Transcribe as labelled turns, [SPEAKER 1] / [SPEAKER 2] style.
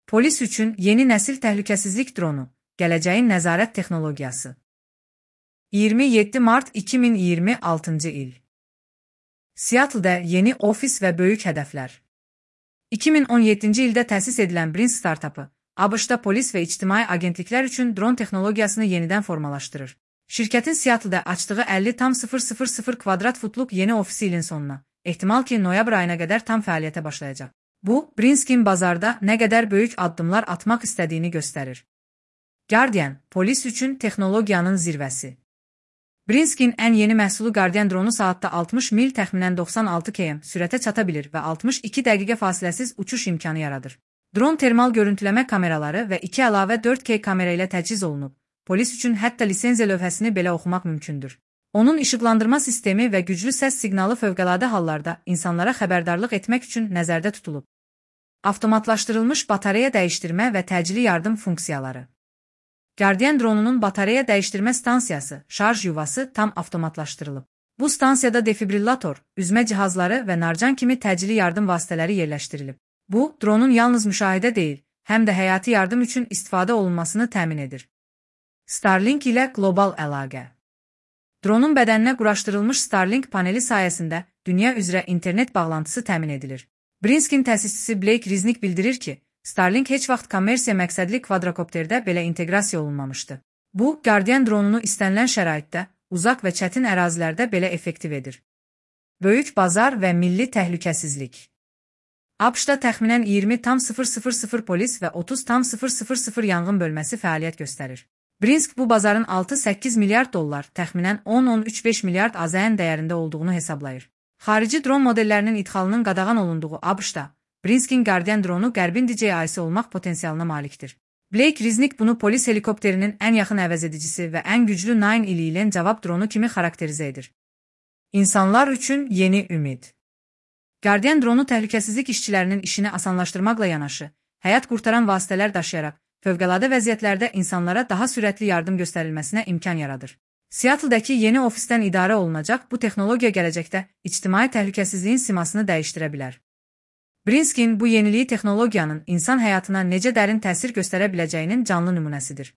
[SPEAKER 1] Polis üçün yeni nəsil təhlükəsizlik dronu, gələcəyin nəzarət texnologiyası. 27 mart 2026-cı il. Seattle'da yeni ofis və böyük hədəflər. 2017-ci ildə təsis edilən Brinsk startapı, ABŞ-da polis və ictimai agentliklər üçün dron texnologiyasını yenidən formalaşdırır. Şirkətin Seattle'da açdığı 50,000 kvadrat futluq yeni ofisi ilin sonuna, ehtimal ki, noyabr ayına qədər tam fəaliyyətə başlayacaq. Bu, Brinsk'in bazarda nə qədər böyük addımlar atmaq istədiyini göstərir. Guardian, polis üçün texnologiyanın zirvəsi. Brinsk'in ən yeni məhsulu Guardian dronu saatda 60 mil təxminən 96 km sürətə çata bilir və 62 dəqiqə fasiləsiz uçuş imkanı yaradır. Dron termal görüntüləmə kameraları və 2 əlavə 4K kamera ilə təchiz olunub. Polis üçün hətta lisenziya lövhəsini belə oxumaq mümkündür. Onun işıqlandırma sistemi və güclü səs siqnalı fövqəladə hallarda insanlara xəbərdarlıq etmək üçün nəzərdə tutulub. Avtomatlaşdırılmış batareya dəyişdirmə və təcili yardım funksiyaları. Guardian dronunun batareya dəyişdirmə stansiyası, şarj yuvası tam avtomatlaşdırılıb. Bu stansiyada defibrillator, üzmə cihazları və narcan kimi təcili yardım vasitələri yerləşdirilib. Bu, dronun yalnız müşahidə deyil, həm də həyati yardım üçün istifadə olunmasını təmin edir. Starlink ilə qlobal əlaqə. Dronun bədəninə quraşdırılmış Starlink paneli sayəsində dünya üzrə internet bağlantısı təmin edilir. Brinsk'in təsisçisi Blake Riznik bildirir ki, Starlink heç vaxt kommersiya məqsədli kvadrokopterdə belə inteqrasiya olunmamışdı. Bu, Guardian dronunu istənilən şəraitdə, uzaq və çətin ərazilərdə belə effektiv edir. Böyük bazar və milli təhlükəsizlik. ABŞ-da təxminən 20,000 polis və 30,000 yanğın bölməsi fəaliyyət göstərir. Brinsk bu bazarın 6-8 milyard dollar, təxminən 10-13,5 milyard AZN dəyərində olduğunu hesablayır. Xarici dron modellərinin idxalının qadağan olunduğu ABŞ-da, Brinsk'in Guardian dronu qərbin DJI-si olmaq potensialına malikdir. Blake Riznik bunu polis helikopterinin ən yaxın əvəzedicisi və ən güclü 911 cavab dronu kimi xarakterizə edir. İnsanlar üçün yeni ümid. Guardian dronu təhlükəsizlik işçilərinin işini asanlaşdırmaqla yanaşı, həyat qurtaran vasitələr daşıyaraq, fövqəladə vəziyyətlərdə insanlara daha sürətli yardım göstərilməsinə imkan yaradır. Seattle'dakı yeni ofisdən idarə olunacaq bu texnologiya gələcəkdə ictimai təhlükəsizliyin simasını dəyişdirə bilər. Brinsk'in bu yeniliyi texnologiyanın insan həyatına necə dərin təsir göstərə biləcəyinin canlı nümunəsidir.